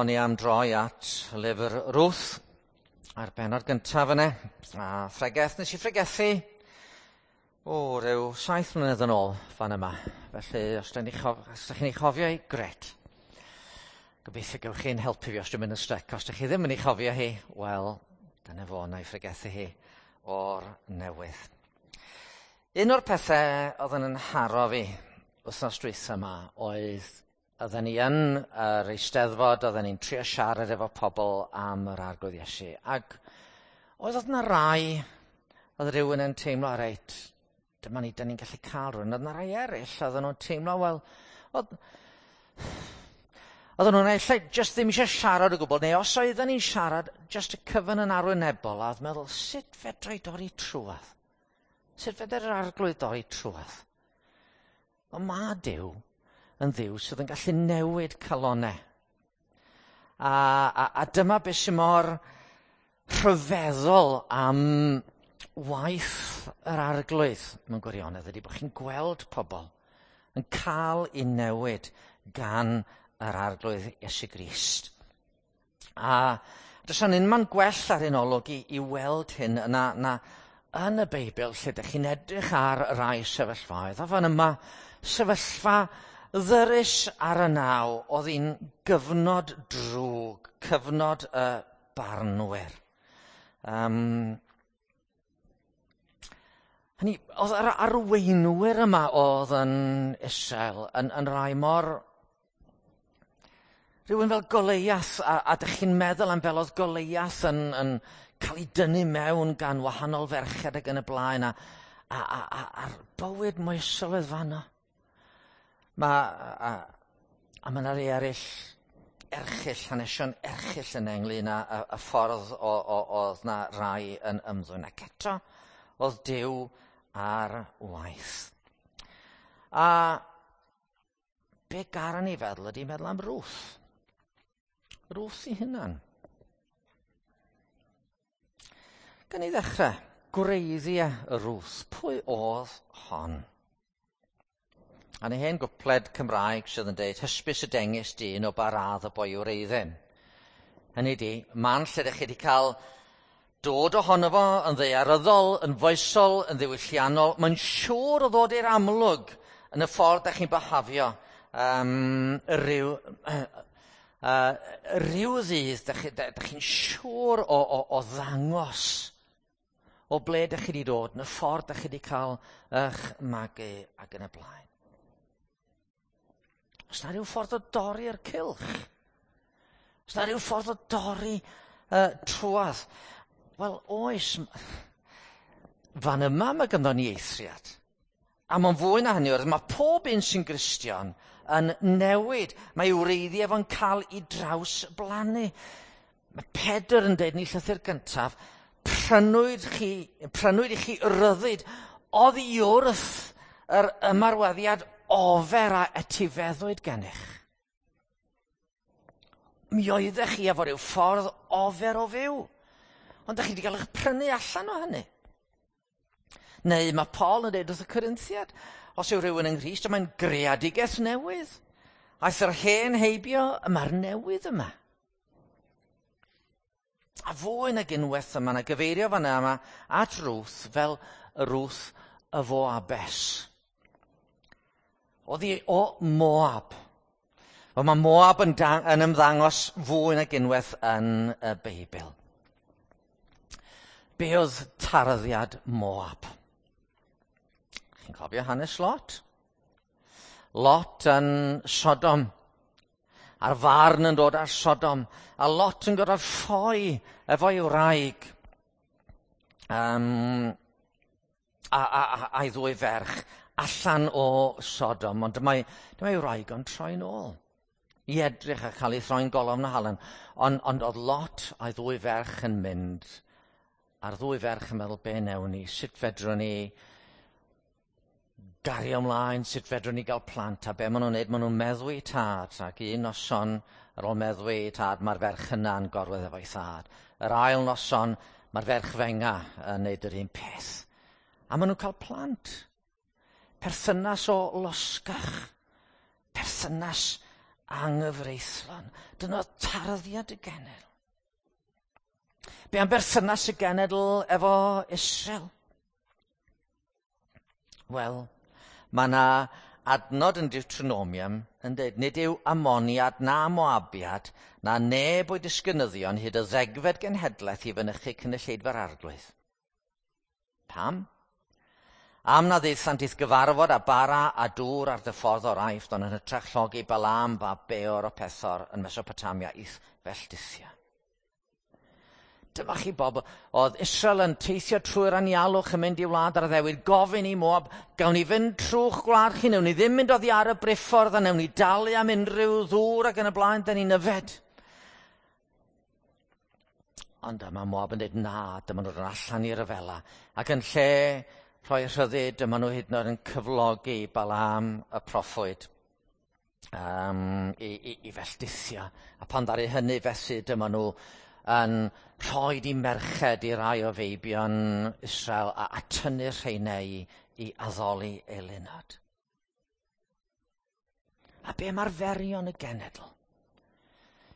O'n i am droi at lyfr Ruth a'r bennod gyntaf yna. A phregeth, nes i phregethu o ryw 7 mlynedd yn ôl fan yma. Felly, os ydych chi'n ei chofio hi, gret. Gobeithio gewch chi'n helpu fi os dwi'n mynd yn styc. Os ydych chi ddim yn ei chofio hi, wel, dyna fo, na i phregethu hi o'r newydd. Un o'r pethau oedd yn nharo fi wythnos dwytha yma oedd oedden ni yn yr Eisteddfod, oedden ni'n trio siarad efo pobl am yr Arglwydd Iesu. Ac oedd yna rai, oedd rhywun yn teimlo, reit, dyma ni, dyn ni'n gallu cael rhywun. Oedd yna rai eraill, oedden nhw'n teimlo, wel, oedden nhw'n ella just ddim eisiau siarad o gwbl, neu os oedden ni'n siarad, just y cyfan yn arwynebol, a oedd meddwl, sut fedra i dorri trwadd? Sut fedra'r Arglwydd dorri trwadd? Ond mae Duw yn Dduw sydd yn gallu newid calonau. A dyma beth sy'n mor rhyfeddol am waith yr Arglwydd mewn gwirionedd ydy bod chi'n gweld pobl yn cael eu newid gan yr Arglwydd Iesu Grist. A does yna unman gwell ar un olwg i weld hyn na yn y Beibl lle ydych chi'n edrych ar rai sefyllfaoedd. A fan yma, sefyllfa ddyrys ar y naw, oedd hi'n gyfnod drwg, cyfnod y barnwyr. Hynny, oedd yr arweinwyr yma oedd yn Israel yn rai mor... Rhywun fel Goleiath, a dych chi'n meddwl am fel oedd Goleiath yn cael ei dynnu mewn gan wahanol ferched ac yn y blaen, a'r bywyd moesol oedd fanno. A mae yna rei eraill erchyll, hanesion erchyll yna ynglyn â y ffordd oedd na rai yn ymddwyn. Ac eto, oedd Duw ar waith. A be garan i feddwl ydy meddwl am Ruth. Ruth i hunan. Gan i ddechrau, gwreiddiau Ruth. Pwy oedd hon? A ni hen gwpled Cymraeg sydd yn dweud, hysbys y dengys dyn o ba radd y boi yw'r eiddyn. Hynny di, man lle ydych chi wedi cael dod ohono fo yn ddaearyddol, yn foesol, yn ddiwylliannol, mae'n siŵr o ddod i'r amlwg yn y ffordd ydych chi'n byhafio rhyw ddydd, ydych chi'n siŵr o ddangos o ble ydych chi wedi dod, yn y ffordd ydych chi wedi cael eich magu ac yn y blaen. Os na rhyw ffordd o dorri'r cylch? Os na rhyw ffordd o dorri trwadd? Wel, oes. Fan yma mae ganddo ni eithriad. A mae'n fwy na hynny, mae pob un sy'n Gristion yn newid. Mae wreiddiau fo'n cael ei drawsblannu. Mae Pedr yn dweud yn ei llythyr gyntaf, prynwyd i chi ryddid oddi wrth yr ymarweddiad ofer a etifeddwyd gennych. Mi oeddech chi efo rhyw ffordd ofer o fyw, ond ydych chi wedi cael eich prynu allan o hynny. Neu mae Paul yn dweud wrth y Corinthiad, os yw rhywun yng Nghrist, mae'n greadigaeth newydd. Aeth yr hen heibio, mae'r newydd yma. A fwy nag unwaith yma, na gyfeirio fan yma at Ruth fel Ruth y Foabes. Oedd hi o Moab. Wel, mae Moab yn ymddangos fwy nag unwaith yn y Beibl. Be oedd tarddiad Moab? Chi'n cofio hanes Lot? Lot yn Sodom. A'r farn yn dod ar Sodom. A Lot yn gorfod ffoi efo'i wraig. A'i ddwy ferch allan o Sodom, ond dyma'i wraig o'n troi'n ôl i edrych a cael ei throi'n golofn o halen. Ond oedd Lot a'i ddwy ferch yn mynd, a'r ddwy ferch yn meddwl, be newn ni, sut fedrwn ni gario ymlaen, sut fedrwn ni gael plant, a be maen nhw'n neud, maen nhw'n meddwi tad, ac un noson ar ôl meddwi tad, mae'r ferch yna'n gorwedd efo'i thad. Yr ail noson, mae'r ferch fenga yn neud yr un peth. A maen nhw'n cael plant. Perthynas o losgach, perthynas Anghyfreithlon. Dyna oedd tarddiad y genedl. Be am berthynas y genedl efo Israel? Wel, mae yna adnod yn Deuteronomium yn dweud, nid yw Amoniad na Moabiad na neb o'i disgynyddion hyd y 10fed genhedlaeth i fynychu cynulleidfa'r Arglwydd. Pam? Am na ddaethant i'th gyfarfod a bara a dŵr ar dy ffordd o'r Aifft, ond yn hytrach llogi Balaam fab Beor o Pethor yn Mesopotamia i'th felldithio. Dyma chi bobl, oedd Israel yn teithio trwy'r anialwch yn mynd i wlad ar addewid, gofyn i Moab, gawn ni fynd trwy'ch gwlad chi, newn ni ddim mynd oddi ar y briffordd a newn ni dalu am unrhyw ddŵr ac yn y blaen, da ni'n yfed. Ond dyma Moab yn dweud, na, dyma nhw'n allan i ryfela. Ac yn lle rhoi rhyddid, dyma nhw hyd yn oed yn cyflogi Balaam y proffwyd i felldithio. A pan ddaru hynny felly, dyma nhw yn rhoi i merched i rai o feibion Israel a tynnu'r rheinau i addoli eilunod. A be am arferion y genedl?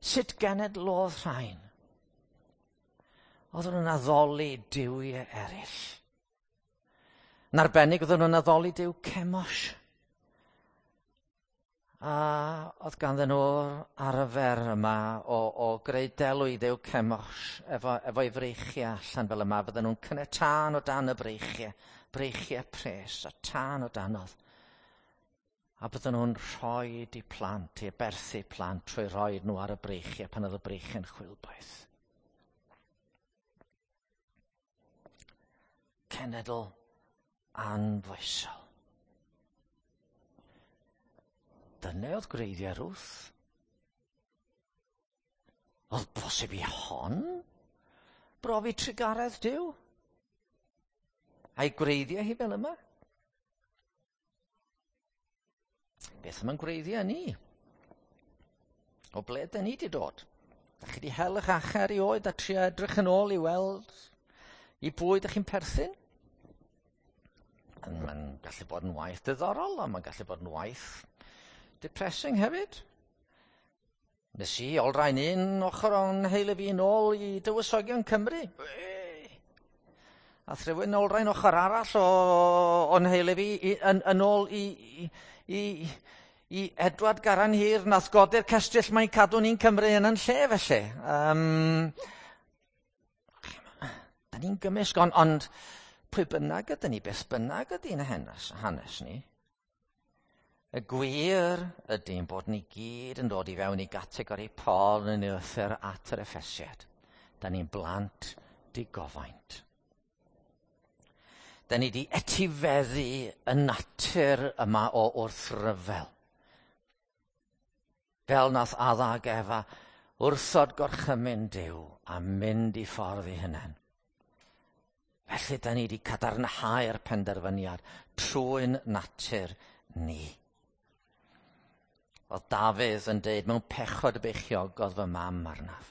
Sut genedl oedd rhain? Oedden nhw'n addoli duwiau eraill. Yn arbennig oedden nhw'n addoli duw Chemosh. A oedd ganddyn nhw'r arfer yma o greu delw i dduw Chemosh efo'i freichiau allan fel yma. Fydden nhw'n cynnau tân o dan y breichiau, breichiau pres a tân o danodd. A bydden nhw'n rhoi i plant, i aberthu plant trwy roi nhw ar y breichiau pan oedd y breichiau'n chwilboeth. Cenedl anfoesol. Dyna oedd gwreiddiau Ruth. Oedd bosib i hon brofi trugaredd Duw? A'i gwreiddiau hi fel yma? Beth am yn gwreiddiau ni? O ble dyn ni wedi dod? Da chi wedi hel eich achau erioed a trio edrych yn ôl i weld i bwy ydych chi'n perthyn? Mae'n gallu bod yn waith diddorol, ond mae'n gallu bod yn waith depressing hefyd. Nes i olrhain un ochr o'n heulu fi nôl i dywysogion Cymru. A rhywun olrhain ochr arall o'n heulu fi yn ôl i Edward Garan Hir nath godi'r cestyll mae'n cadw ni'n Cymru yn lle felly. Da ni'n gymysg, ond pwy bynnag ydyn ni, beth bynnag ydy'n hanes ni, y gwir ydy'n bod ni gyd yn dod i fewn i gategori Paul yn ei lythyr at yr Effesiad. Da ni'n blant digofaint. Da ni di etifeddu y natur yma o wrthryfel. Fel nath Adda ag Efa wrthod gorchymyn Duw a mynd i ffordd i hunain. Felly da ni wedi cadarnhau'r penderfyniad trwy'n natur ni. Oedd Dafydd yn deud, mewn pechod y beichiogodd fy mam arnaf.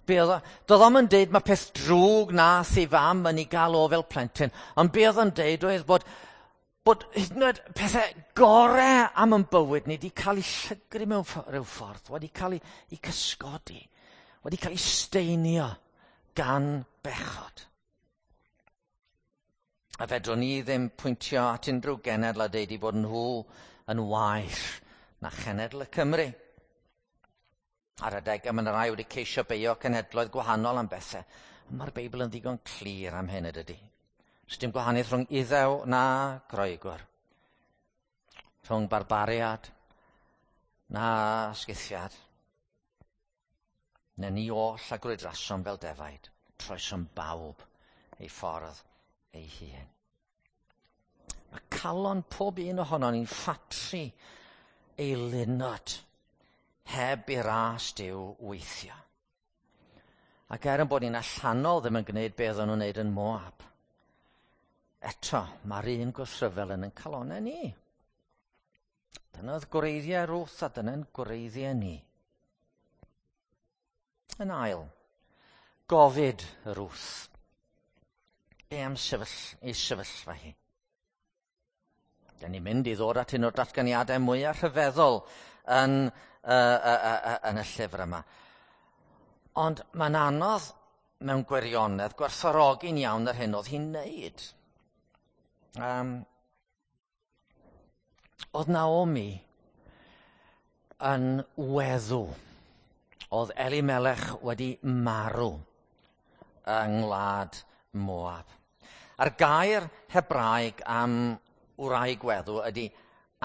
Doedd o'm yn deud mae peth drwg nath ei fam yn ei gael o fel plentyn, ond be oedd o'n deud oedd bod hyd yn oed pethau gorau am yn bywyd ni wedi cael eu llygru mewn rhyw ffordd, wedi cael eu cysgodi, wedi cael eu steinio gan bechod. A fedrwn ni ddim pwyntio at unrhyw genedl a deud i bod nhw yn waeth na chenedl y Cymru. Ar adegau mae yna rai wedi ceisio beio cenhedloedd gwahanol am bethau. Ond mae'r Beibl yn ddigon clir am hyn ydy. Does dim gwahaniaeth rhwng Iddew na Groegwr. Rhwng barbariad na sgythiad. Na ni oll a grwydrasom fel defaid. Troesom bawb ei ffordd ei hun. Mae calon pob un ohonon ni'n ffatri eilunod heb i ras Duw weithio. Ac er yn bod ni'n allanol ddim yn gwneud beth o'n nhw'n wneud yn Moab, eto mae'r un gwrthryfel yn ein calonau ni. Dyna oedd gwreiddiau Ruth a dyna'n gwreiddiau ni. Yn ail, gofid Ruth. Be am ei sefyllfa hi? Da ni'n mynd i ddod at un o'r datganiadau mwyaf rhyfeddol yn, yn y llyfr yma. Ond mae'n anodd mewn gwirionedd gwerthfawrogi'n iawn yr hyn oedd hi'n neud. Oedd Naomi yn weddw. Oedd Elimelech wedi marw yng ngwlad Moab. A'r gair Hebraeg am wraig weddw ydy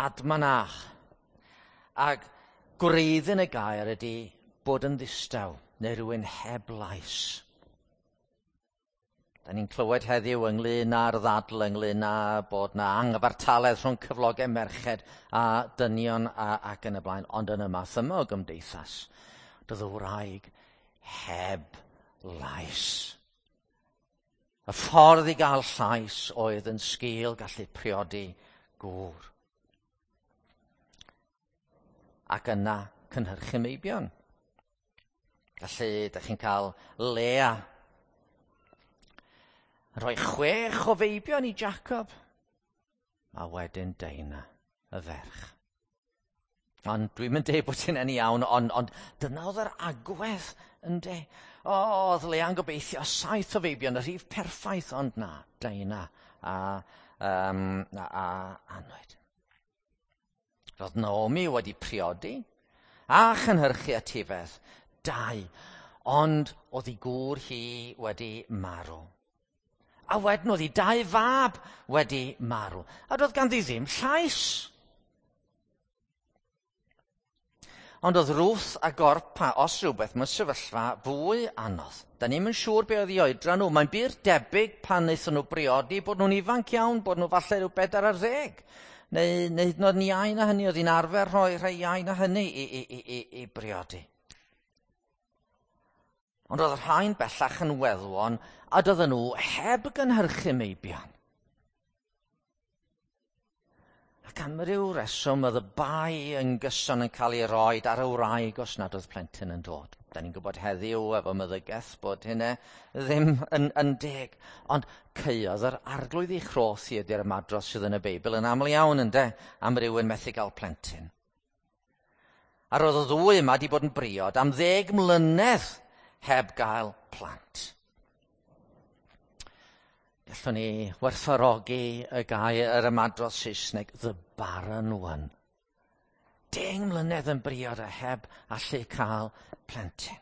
admanach. Ac gwreiddyn y gair ydy bod yn ddistaw neu rhywun heb lais. Da ni'n clywed heddiw ynglyn â'r ddadl ynglyn â bod na anghyfartaledd rhwng cyflogau merched a dynion ac yn y blaen, ond yn y math yma o gymdeithas, doedd y wraig heb lais. Y ffordd i gael llais oedd yn sgil gallu priodi gŵr. Ac yna cynhyrchu meibion. Felly, da chi'n cael Lea yn rhoi 6 o feibion i Jacob, a wedyn Deina, y ferch. Ond dwi'n mynd deud bod hynny'n iawn, ond dyna oedd yr agwedd, ynde? O, oedd Lea'n gobeithio 7 o feibion, y rhif perffaith, ond na, Deina a Anwyd. Roedd Naomi wedi priodi a chynhyrchu etifedd, 2, ond oedd ei gŵr hi wedi marw. A wedyn oedd ei 2 fab wedi marw. A doedd ganddi ddim llais. Ond oedd Ruth a Orpa, os rhywbeth, mewn sefyllfa fwy anodd. Da ni'm yn siŵr be oedd ei oedran nhw. Mae'n bur debyg pan wnaethon nhw briodi bod nhw'n ifanc iawn, bod nhw falle rhyw 40. Neu hyd yn oed yn iau na hynny, oedd hi'n arfer rhoi rhai iau na hynny i briodi. Ond oedd rhain bellach yn weddwon a doedden nhw heb gynhyrchu meibion. Ac am ryw reswm oedd y bai yn gyson yn cael ei roed ar y wraig os nad oedd plentyn yn dod. Da ni'n gwybod heddiw efo meddygaeth bod hynna ddim yn deg. Ond caeodd yr arglwydd ei chroth i ydy'r ymadrodd sydd yn y Beibl yn aml iawn, ynde, am rywun methu gael plentyn. A roedd y ddwy yma wedi bod yn briod am 10 mlynedd heb gael plant. Gallwn ni werthfawrogi y gair yr ymadrodd Saesneg, the barren one. 10 mlynedd yn briod a heb allu cael plentyn.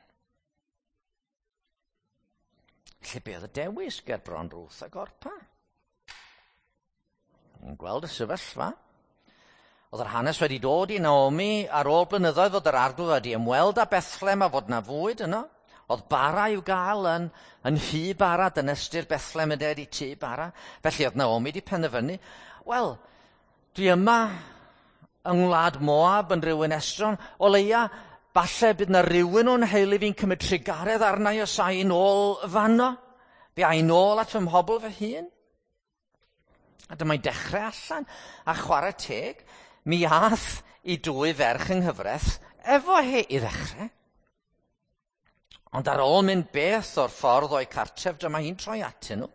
Felly be oedd y dewis ger bron Ruth ac Orpa? Ni'n gweld y sefyllfa. Oedd yr hanes wedi dod i Naomi ar ôl blynyddoedd fod yr arglwydd wedi ymweld â Bethlehem a fod na fwyd yno. Oedd bara i'w gael yn nhŷ bara, dyna ystyr Bethlehem yn dweud i tŷ bara. Felly oedd Naomi wedi penderfynu, wel, dwi yma yng ngwlad Moab yn rhywun estron, o leia, falle bydd na rhywun o'n heulu fi'n cymryd trugaredd arna i os a i nôl fanno. Fi a i nôl at fy mhobl fy hun. A dyma'n dechrau allan, a chwarae teg, mi ath i 2 ferch yng nghyfraith efo hi i ddechrau. Ond ar ôl mynd beth o'r ffordd o'i cartref, dyma hi'n troi atyn nhw.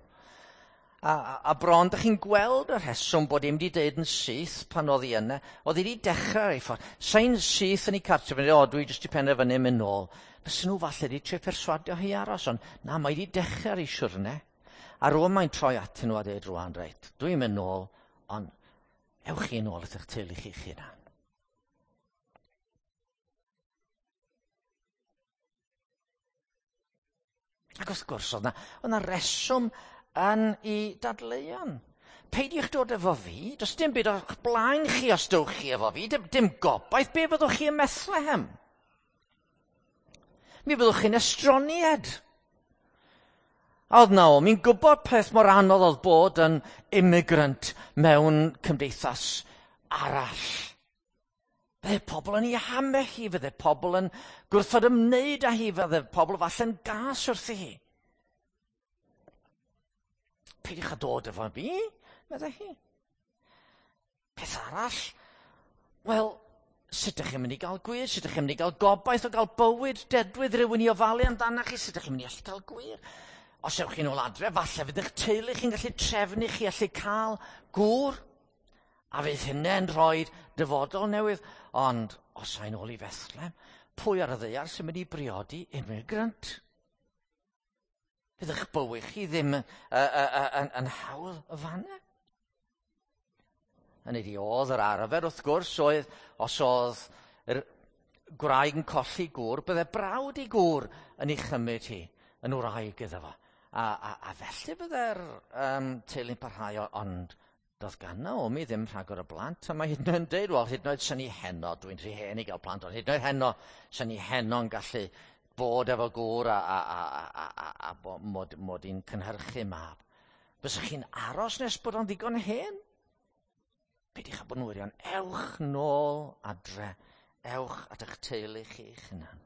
A bron, dych chi'n gweld y rheswm bod hi'm wedi deud yn syth pan oedd hi yna. Oedd hi wedi dechrau ar ei ffordd. Sa'n syth yn ei cartref, yn dweud, o, dwi jyst 'di penderfynu mynd nôl. Fysen nhw falle wedi trio perswadio hi aros, ond na, mae wedi dechrau ar ei siwrne. A rŵan mae'n troi atyn nhw a dweud rŵan, reit, dwi'n mynd nôl, ond ewch chi nôl at eich teulu chi'ch hunan. Ac wrth gwrs, oedd 'na reswm yn ei dadleuon. Peidiwch dod efo fi, does dim byd o'ch blaen chi os dowch chi efo fi, dim gobaith, be fyddwch chi ym Methlehem? Mi fyddwch chi'n estroniad. A oedd Naomi'n gwybod peth mor anodd oedd bod yn immigrant mewn cymdeithas arall. Fydde pobl yn ei hamau hi, fydde pobl yn gwrthod ymwneud â hi, fydde pobl falle'n gas wrthi hi. Peidiwch â dod efo fi, meddai hi. Peth arall, wel, sut ydych chi'n mynd i gael gwir? Sut ydych chi'n mynd i gael gobaith o gael bywyd dedwydd rhywun i ofalu amdanoch chi? Sut ydych chi'n mynd i allu cael gwir? Os ewch chi'n ôl adre, falle fydd eich teulu chi'n gallu trefnu chi allu cael gŵr. A fydd hynny'n rhoi dyfodol newydd. Ond os ai'n ôl i Bethlehem, pwy ar y ddaear sy'n mynd i briodi immigrant? Fydd eich bywyd chi ddim yn hawdd y fanna. Hynny ydi, oedd yr arfer wrth gwrs oedd, os oedd yr gwraig yn colli gŵr, bydde brawd i gŵr yn ei chymryd hi yn wraig iddo fo. A felly bydde'r teulu'n parhau, ond doedd gan Naomi ddim rhagor o blant, a mae hyd yn oed yn dweud, wel, hyd yn oed sy'n ni heno, dwi'n rhy hen i gael plant, ond hyd yn oed heno, sy'n ni heno'n gallu bod efo gŵr a mod i'n cynhyrchu mab. Fysych chi'n aros nes bod o'n ddigon hen? Peidiwch â bod yn wirion. Ewch nôl adre. Ewch at eich teulu chi'ch hunan.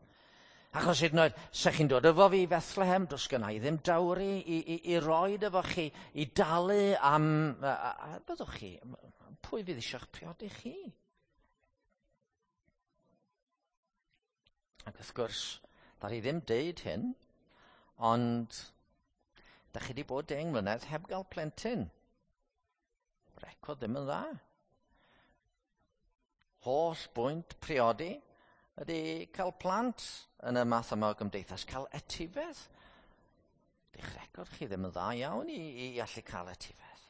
Achos hyd yn oed, se chi'n dod efo fi i Bethlehem, does gynna i ddim dawri i roed efo chi, i dalu am... A byddwch chi, pwy fydd eisiau'ch priodi chi? Ac wrth gwrs, ddaru ddim deud hyn, ond da chi wedi bod 10 mlynedd heb gael plentyn. Record ddim yn dda. Holl bwynt priodi ydy cael plant yn y math yma o gymdeithas, cael etifedd. Dych record chi ddim yn dda iawn i allu cael etifedd.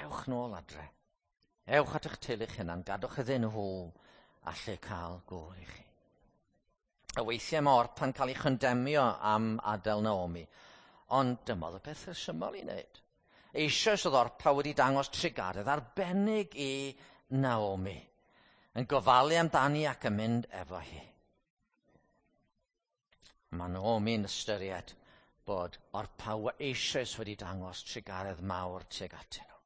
Ewch nôl adre. Ewch at eich teulu'ch hunan, gadwch iddyn nhw allu cael gŵr i chi. A weithiau mae Orpa'n cael ei chondemio am adael Naomi, ond dyma oedd y peth rhesymol i wneud. Eisoes oedd Orpa wedi dangos trugaredd arbennig i Naomi, yn gofalu amdani ac yn mynd efo hi. Mae Naomi'n ystyried bod Orpa eisoes wedi dangos trugaredd mawr tuag atyn nhw.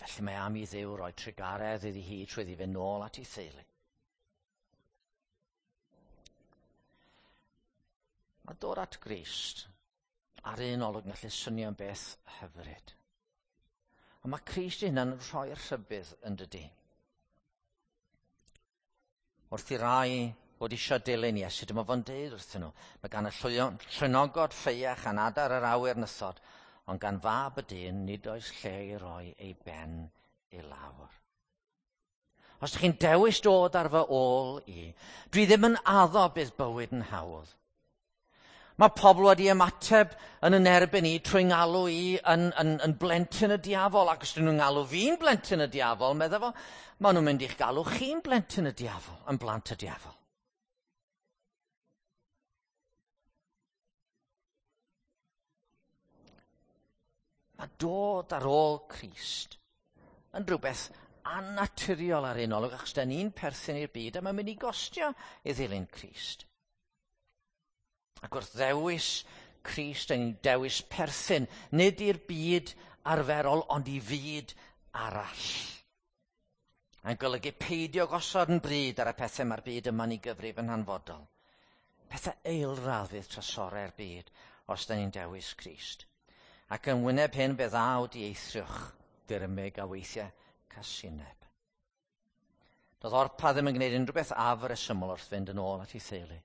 Felly mae am i Dduw roi trugaredd iddi hi trwy iddi fynd nôl at ei theulu. Mae dod at Grist ar un olwg yn gallu swnio'n beth hyfryd. Ond mae Crist ei hunan yn rhoi'r rhybudd yn dydi. Wrth i rai fod eisiau dilyn Iesu, dyma fo'n deud wrthyn nhw, mae gan y llwynogod ffeiach a'n adar yr awyr nythod, ond gan fab y dyn nid oes lle i roi ei ben i lawr. Os ydych chi'n dewis dod ar fy ôl i, dwi ddim yn addo bydd bywyd yn hawdd. Mae pobl wedi ymateb yn yn erbyn i trwy ngalw i yn blentyn y diafol, ac os dyn nhw'n ngalw fi'n blentyn y diafol, medda fo, maen nhw'n mynd i'ch galw chi'n blentyn y diafol, yn blant y diafol. Mae dod ar ôl Crist yn rhywbeth annaturiol ar un olwg, achos da ni'n perthyn i'r byd a mae'n mynd i gostio i ddilyn Crist. Ac wrth ddewis Crist, da ni'n dewis perthyn, nid i'r byd arferol, ond i fyd arall. Mae'n golygu peidio gosod yn bryd ar y pethau mae'r byd yma'n ei gyfrif yn hanfodol. Pethau eilradd fydd trysorau'r byd os da ni'n dewis Crist. Ac yn wyneb hyn fe ddaw dieithrwch, dirmyg a weithiau casineb. Doedd Orpa ddim yn gwneud unrhyw beth afresymol wrth fynd yn ôl at ei theulu.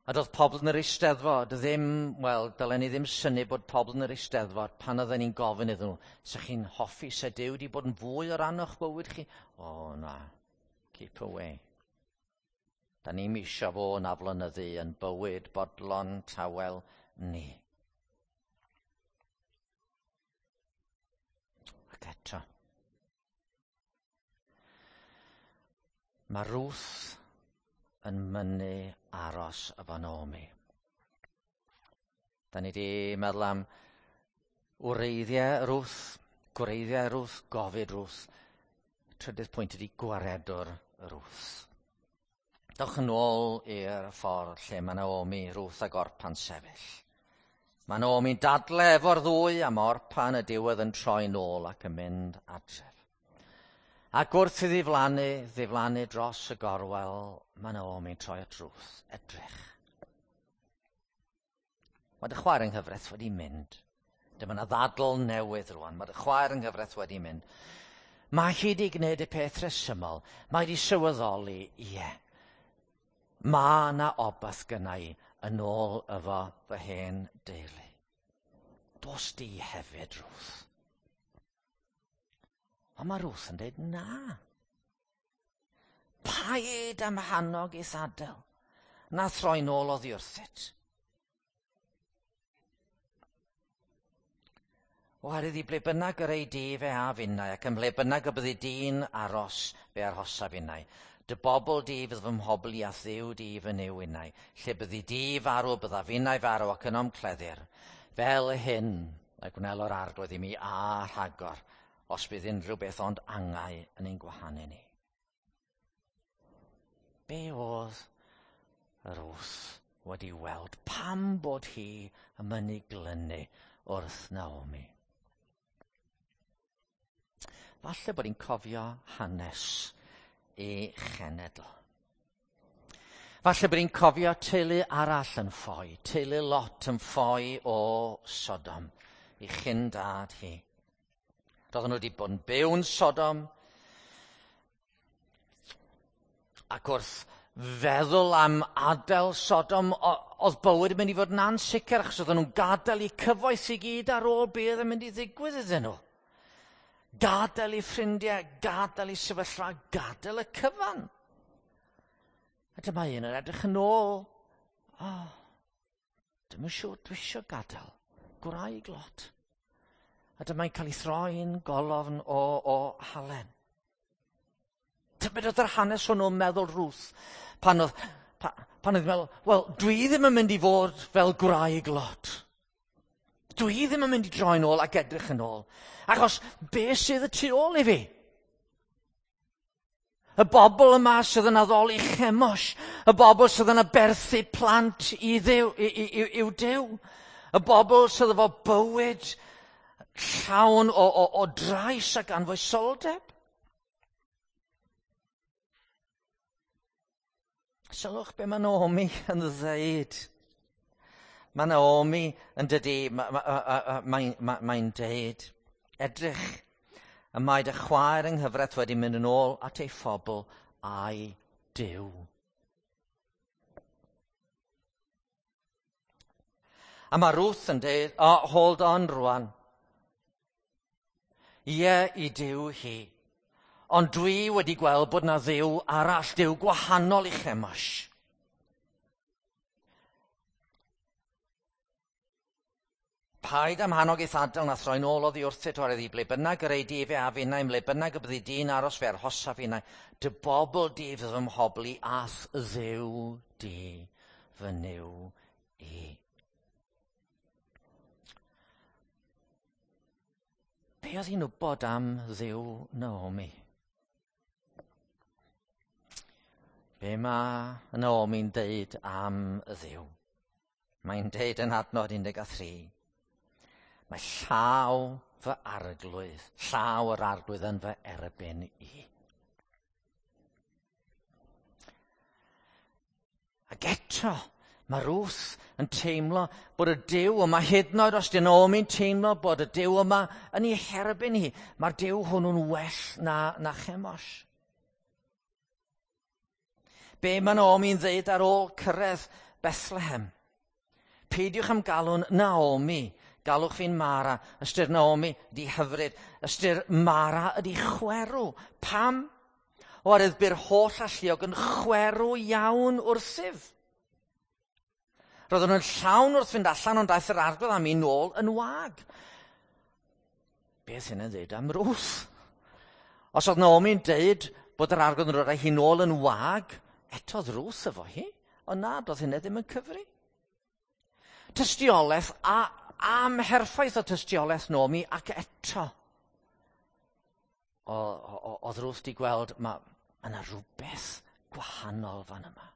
A doedd pobl yn yr Eisteddfod ddim, wel, dylen ni ddim synnu bod pobl yn yr Eisteddfod pan oedden ni'n gofyn iddyn nhw, sa chi'n hoffi se Duw wedi bod yn fwy o ran o'ch bywyd chi? O, na, keep away. Da ni'm isio fo yn aflonyddu yn bywyd bodlon tawel ni. Ac eto, mae Ruth yn mynnu aros efo Naomi. Da ni wedi meddwl am wreiddiau Ruth, gwreiddiau Ruth, gofid Ruth. Trydydd pwynt ydy gwaredwr Ruth. Dewch yn ôl i'r ffordd lle mae Naomi, Ruth ac Orpa'n sefyll. Mae Naomi'n dadle efo'r ddwy am Orpa yn y diwedd yn troi nôl ac yn mynd adref. Ac wrth iddi ddiflannu dros y gorwel, mae Naomi'n troi at Ruth, edrych. Mae dy chwaer yng nghyfraith wedi mynd. Dyma yna ddadl newydd rwan. Mae dy chwaer yng nghyfraith wedi mynd. Mae hi wedi gwneud y peth rhesymol. Mae wedi sylweddoli, ie. Mae yna obaith gynna i yn ôl efo fy hen deulu. Dos di hefyd, Ruth. Ond mae Ruth yn dweud na. Paid am hannog i'th adael, na throi nôl oddi wrthyt. Oherwydd i ble bynnag yr ei di fe a finnau, ac ym mhle bynnag y byddi di'n aros fe arhosa finnau. Dy bobl di fydd fy mhobl i a Dduw di fy Nuw innau. Lle byddi di farw bydda finnau farw ac yno'm cleddir. Fel hyn y gwnelo'r Arglwydd i mi a rhagor, os bydd unrhyw beth ond angau yn ein gwahanu ni. Be oedd yr Ruth wedi weld? Pam bod hi yn mynnu glynu wrth Naomi? Falle bod hi'n cofio hanes ei chenedl. Falle bod hi'n cofio teulu arall yn ffoi, teulu Lot yn ffoi o Sodom, i chyn dad hi. Roedden nhw wedi bod yn byw'n Sodom, ac wrth feddwl am adael Sodom, oedd bywyd yn mynd i fod yn ansicr, achos oedden nhw'n gadael eu cyfoeth i gyd ar ôl beth yn mynd i ddigwydd iddyn nhw. Gadael eu ffrindiau, gadael eu sefyllfa, gadael y cyfan. A dyma un yn edrych yn ôl. O, dwi'm yn siŵr dwi eisiau gadael. Gwraig Lot. A dyma'n cael ei throi'n golofn o halen. Tybed oedd yr hanes hwnnw'n meddwl Ruth pan oedd pan oedd meddwl, wel, dwi ddim yn mynd i fod fel gwraig Lot. Dwi ddim yn mynd i droi nôl ac edrych yn ôl. Achos be sydd y tu ôl i fi? Y bobl yma sydd yn addoli Chemosh, y bobl sydd yn aberthu plant i Dduw, i'w Duw, y bobl sydd efo bywyd llawn o drais ac anfoesoldeb. Sylwch be mae Naomi yn ddeud. Mae Naomi yn dydi, mae'n deud, edrych, y mae dy chwaer yng nghyfraith wedi mynd yn ôl at ei phobl a'i Duw. A mae Ruth yn deud, oh, hold on rwan. Ie, i Duw hi. Ond dwi wedi gweld bod na Dduw arall, Duw gwahanol i Chemosh. Paid am hannog eith adael na throi'n ôl oddi wrthyt oherwydd i ble bynnag yr ei di fe a finnau, ble bynnag y byddi di'n aros fe arhosa finnau, dy bobl di fydd fy mhobl i a'th Dduw di fy Nuw i. Be oedd hi'n wybod am Dduw Naomi? Be mae Naomi'n deud am y Dduw? Mae'n deud yn adnod 13. Mae llaw fy arglwydd, llaw yr arglwydd yn fy erbyn i. Ac eto, mae Ruth yn teimlo bod y Duw yma, hyd yn oed os di Naomi'n teimlo bod y Duw yma yn ei herbyn hi, mae'r Duw hwnnw'n well na Chemosh. Be mae Naomi'n ddeud ar ôl cyrraedd Bethlehem? Peidiwch am galw'n Naomi, galwch fi'n Mara. Ystyr Naomi ydi hyfryd, ystyr Mara ydi chwerw. Pam? Oherwydd bu'r holl alluog yn chwerw iawn wrthyf. Roedden nhw'n llawn wrth fynd allan, ond daeth yr arglwydd am i nôl yn wag. Beth hyn yn dweud am Ruth? Os oedd Naomi'n deud bod yr arglwydd yn rhoi hi nôl yn wag, eto oedd Ruth efo hi, ond na, doedd hynny ddim yn cyfri. Tystiolaeth a amherffaith o tystiolaeth Naomi, ac eto oedd Ruth di gweld mae yna rhywbeth gwahanol fan yma.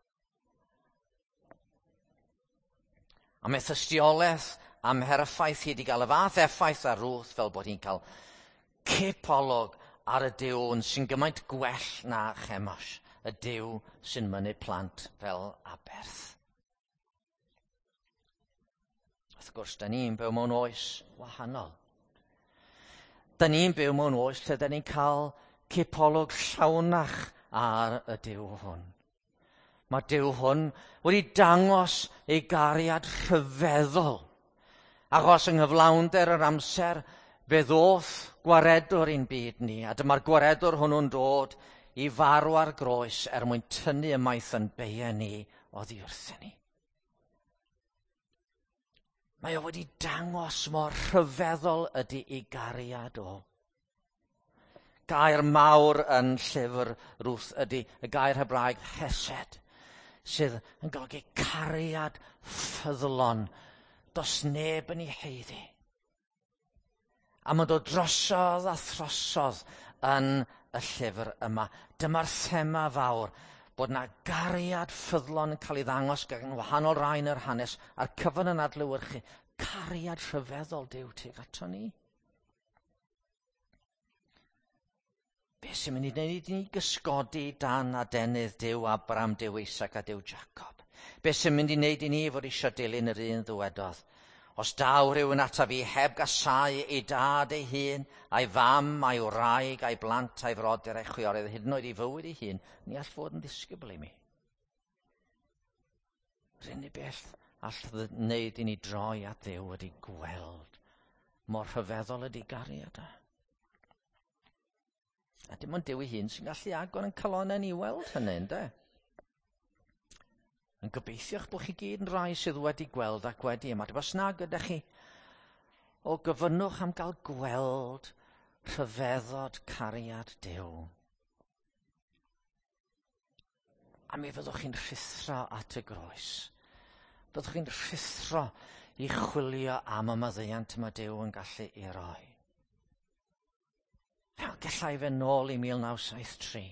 A mae tystiolaeth amherffaith hi wedi cael y fath effaith ar Ruth fel bod hi'n cael cipolwg ar y Duw sy'n gymaint gwell na Chemosh, y Duw sy'n mynnu plant fel aberth. Wrth gwrs, da ni'n byw mewn oes wahanol. Da ni'n byw mewn oes lle da ni'n cael cipolwg llawnach ar y Duw hwn. Mae Duw hwn wedi dangos ei gariad rhyfeddol. Achos yng nghyflawnder yr amser, fe ddoth gwaredwr i'n byd ni, a dyma'r gwaredwr hwnnw'n dod i farw ar groes er mwyn tynnu ymaith yn beiau ni oddi wrthyn ni. Mae o wedi dangos mor rhyfeddol ydy ei gariad o. Gair mawr yn llyfr Ruth ydy y gair Hebraeg hesed, sydd yn golygu cariad ffyddlon. Does neb yn ei heiddi. A mae'n dod drosodd a throsodd yn y llyfr yma. Dyma'r thema fawr, bod na gariad ffyddlon yn cael ei ddangos gan wahanol rai yn yr hanes, a'r cyfan yn adlewyrchu cariad rhyfeddol Duw tuag ato ni. Be sy'n mynd i wneud i ni gysgodi dan adenydd Duw Abraham, Duw Isaac a Duw Jacob? Be sy'n mynd i wneud i ni fod eisiau dilyn yr un ddywedodd? Os daw rhywun ata fi heb gasau ei dad ei hun, a'i fam, a'i wraig, a'i blant, a'i frodyr, a'i chwiorydd, hyd yn oed ei fywyd ei hun, ni all fod yn ddisgybl i mi. Yr unig beth all wneud i ni droi at Dduw ydy gweld mor rhyfeddol ydy gariad e. A dim ond Duw ei hun sy'n gallu agor yn calonnau ni weld hynny, ynde? Yn gobeithio'ch bod chi gyd yn rai sydd wedi gweld ac wedi ymateb. Os nag ydych chi, o gyfynnwch am gael gweld rhyfeddod cariad Duw. A mi fyddwch chi'n rhuthro at y groes. Byddwch chi'n rhuthro i chwilio am y maddeuant mae Duw yn gallu ei roi. Gallai fe nôl i 1973.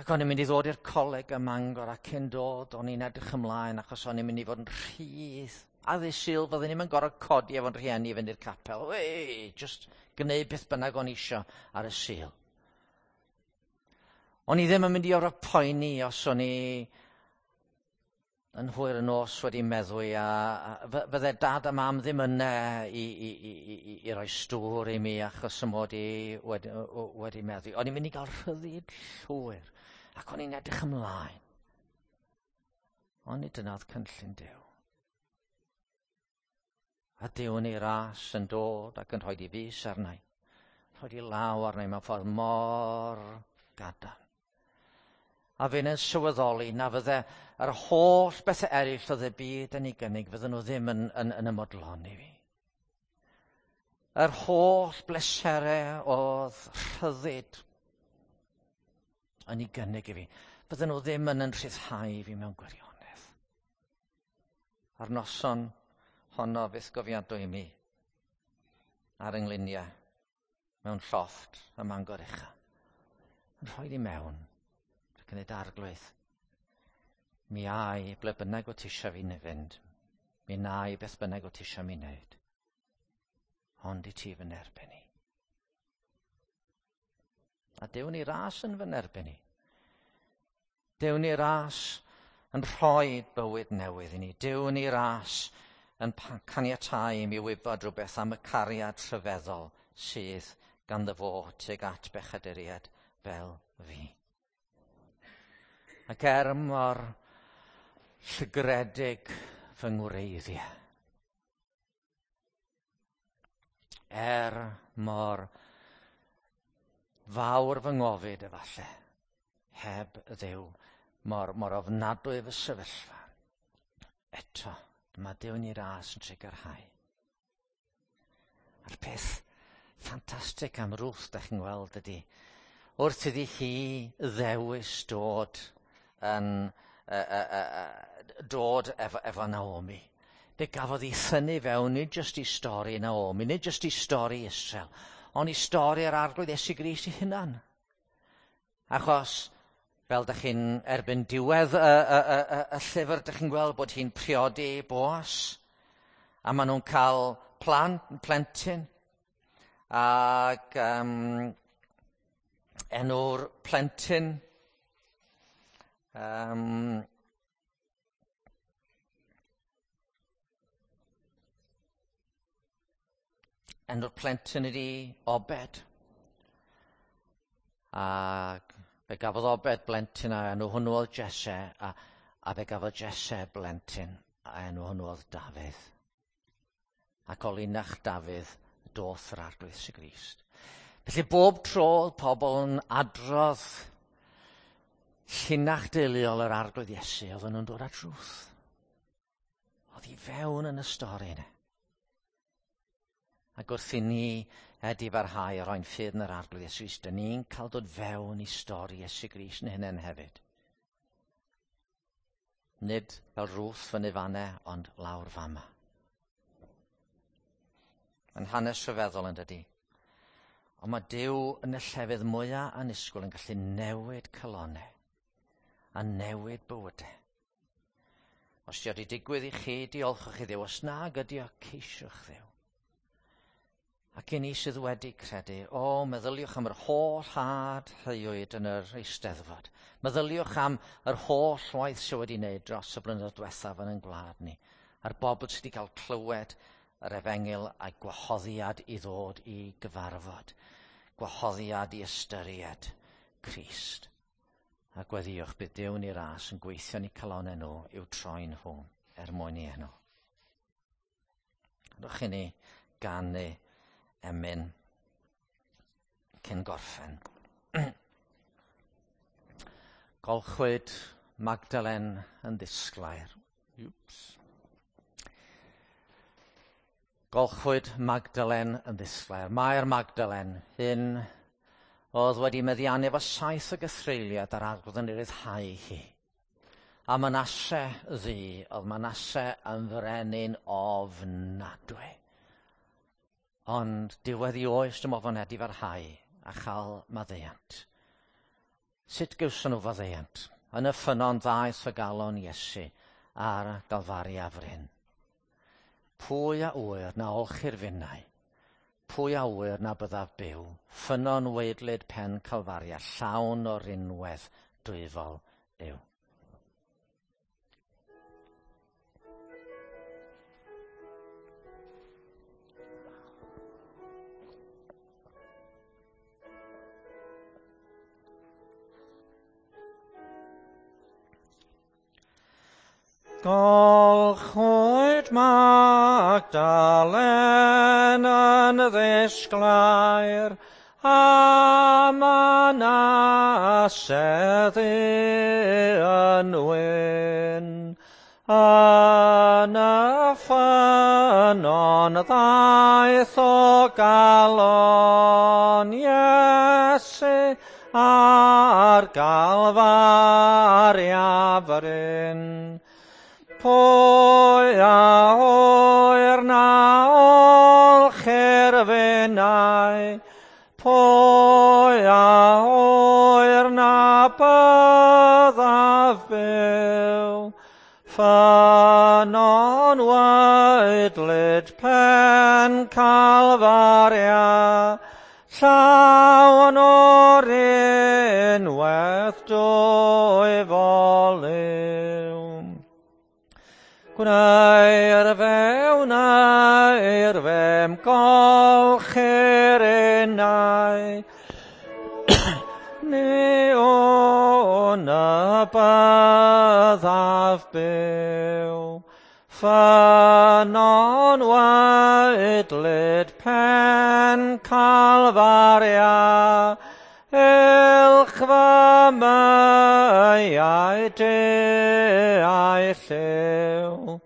Ac o'n i'n mynd i ddod i'r coleg ym Mangor, a cyn dod o'n i'n edrych ymlaen achos o'n i'n mynd i fod yn rhydd. A ddydd Sul fyddwn ni'n gorfod codi efo'n rhieni i fynd i'r capel. Wei, just gwneud beth bynnag o'n isio ar y Sul. O'n i ddim yn mynd i orfod poeni os o'n i yn hwyr y nos wedi meddwi, a fydde dad a mam ddim yna i roi stŵr i mi achos y mod i wedi meddwi. O'n i'n mynd i gael rhyddid llwyr, ac o'n i'n edrych ymlaen. Ond nid dyna oedd cynllun Duw. A Duw yn ei ras yn dod ac yn rhoi ei fys arna i, rhoi ei law arna i mewn ffordd mor gadarn. A fe'n yn sylweddoli na fydde yr holl bethau eraill oedd y byd yn ei gynnig, fydden nhw ddim yn ymodloni fi. Yr holl bleserau oedd rhyddid yn ei gynnig i fi, fydden nhw ddim yn rhyddhau fi mewn gwirionedd. A'r noson honno fyth gofiadwy i mi, ar yngluniau, mewn llofft ym Mangor Ucha, yn rhoi i mewn ac yn ei arglwydd. Mi ai ble bynnag o ti isio fi fynd, mi na i beth bynnag o ti isio mi wneud, ond i ti fy nerbyn i. A Duw ni ras yn fy nerbyn i. Duw ni ras yn rhoi bywyd newydd i ni. Duw ni ras yn caniatáu i mi wybod rhywbeth am y cariad rhyfeddol sydd ganddo fo tuag at bechaduriaid fel fi. Ac er mor llygredig fy ngwreiddiau, er mor fawr fy ngofid efallai, heb Dduw, mor ofnadwy fy sefyllfa, eto, mae Duw yn ei ras yn trugarhau. A'r peth ffantastig am Ruth, da chi'n gweld, ydy, wrth iddi hi ddewis dod yn dod efo Naomi. Fe gafodd ei thynnu fewn, nid jyst i stori Naomi, nid jyst i stori Israel, ond i stori'r Arglwydd Iesu Grist ei hunan. Achos, fel dych chi'n erbyn diwedd y llyfr, dych chi'n gweld bod hi'n priodi Boas, a maen nhw'n cael plentyn, ac enw'r plentyn enw'r plentyn ydi Obed. Ac fe gafodd Obed blentyn a enw hwnnw oedd Jesse, a fe gafodd Jesse blentyn a enw hwnnw oedd Dafydd. Ac o linach Dafydd Doth yr Arglwydd Iesu Grist. Felly bob tro oedd pobl yn adrodd llinach deuluol yr Arglwydd Iesu, oedden nhw'n dod at Ruth. Oedd hi fewn yn y stori yna. Ac wrth i ni edifarhau a roi'n ffydd yn yr Arglwydd Iesu Grist, dyn ni'n cael dod fewn i stori Iesu Grist yn hynny'n hefyd. Nid fel Ruth fyny fanne, ond lawr fama. Mae'n hanes rhyfeddol yn dydi. Ond mae Duw yn y llefydd mwyaf annisgwyl yn gallu newid calonnau a newid bywydau. Os di wedi digwydd i chi, diolchwch i Dduw. Os nag ydi o, ceisiwch Dduw. Ac i ni sydd wedi credu, o, meddyliwch am yr holl had heuwyd yn yr Eisteddfod. Meddyliwch am yr holl waith sydd wedi wneud dros y blynyddoedd diwethaf yn ein gwlad ni. A'r bobl sydd wedi cael clywed yr efengyl a'i gwahoddiad i ddod i gyfarfod. Gwahoddiad i ystyried Crist. A gweddïwch bydd Duw yn ei ras yn gweithio yn eu calonnau nhw i'w troi nhw er mwyn i enw. Rwch i ni ganu emyn cyn gorffen. Golchwyd Magdalen yn ddisglair. Oops. Golchwyd Magdalen yn ddisglair. Mae'r Magdalen hyn oedd wedi meddiannu efo 7 o gythreuliad a'r Arglwydd yn ei ryddhau hi. A Manasse ddu, oedd Manasse yn frenin ofnadwy. Ond diwedd i oes dim ofn edifarhau a chael maddeuant. Sut gawson nhw faddeuant? Yn y ffynnon ddaeth y galon Iesu ar Galfaria fryn. Pwy a ŵyr na olchi'r finnau? Pwy a ŵyr na byddaf byw? Ffynnon waedlyd pen Calfaria, llawn o rinwedd dwyfol yw. Golchwyd Magdalen yn ddisglair, a Manasse ddu yn wyn. Yn y ffynnon ddaeth o galon Iesu ar Galfaria fryn. Pwy a ŵyr na olchir finnau, pwy a ŵyr na byddaf byw. Ffynnon waedlyd pen Calfaria, llawn o'r unwaith dwyfol yw. Gwneir fe, wneir fe'm golchir innau, ni wn y byddaf byw. Ffynnon waedlyd pen Calfaria, Uwch fy myau du a'i lliw.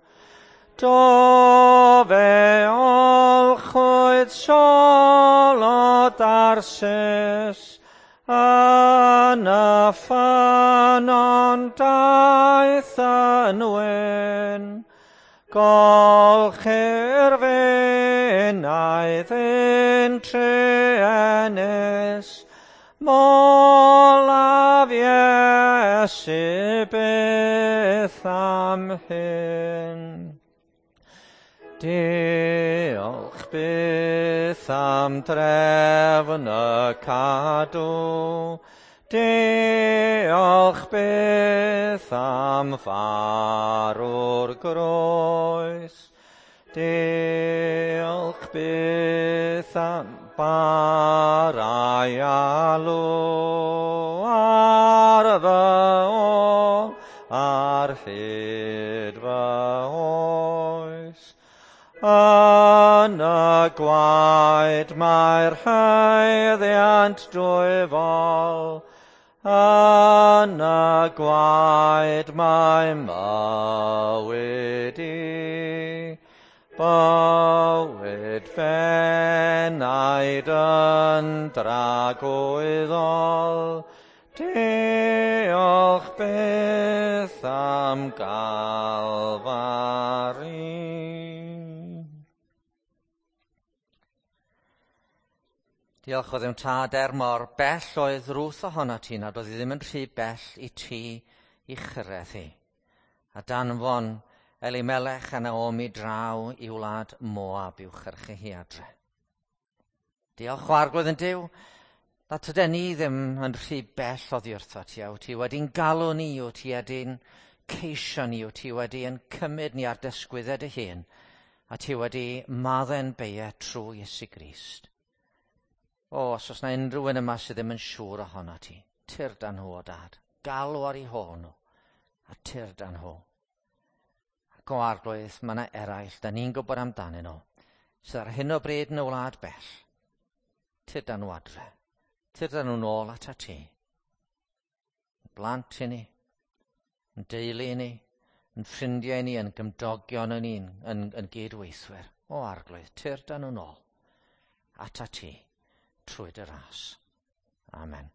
Do fe olchwyd Saul o Darsis, yn y ffynnon daeth yn wyn. Golchir finnau ddyn truenus, molaf Iesu byth am hyn. Diolch byth am drefn y cadw, diolch byth am farw'r groes, diolch byth am barau alw ar fy ôl ar hyd fy oes. Yn y gwaed mae'r haeddiant dwyfol, yn y gwaed mae mywyd i. Bywyd fenaid yn dragwyddol, diolch byth am Galfari. Diolch o ddim tad er mor bell oedd Ruth ohono ti nad oedd hi ddim yn rhy bell i ti i chyrraedd hi. A danfon Elimelech a Naomi draw i wlad Moab i'w chyrchu hi adre. Diolch o Arglwydd yn Duw, na tyden ni ddim yn rhy bell oddi wrtho ti, a wyt ti wedi'n galw ni, wyt ti wedi'n ceisio ni, wyt ti wedi'n cymryd ni ar dysgwyddau dy hun, a ti wedi maddau'n beia trwy Iesu Grist. O, os oes na unrhyw un yma sydd ddim yn siŵr ohono ti, tyrd â nhw o dad. Galw ar eu hôl nhw, a tyrd â nhw. Ac o Arglwydd, mae yna eraill, da ni'n gwybod amdanyn nhw, sydd ar hyn o bryd yn y wlad bell. Tyrd â nhw adre. Tyrd â nhw nôl ata ti. Yn blant i ni, yn deulu i ni, yn ffrindiau i ni, yn gymdogion i ni, yn gydweithwyr. O Arglwydd, tyrd â nhw nôl ata ti trwy dy ras. Amen.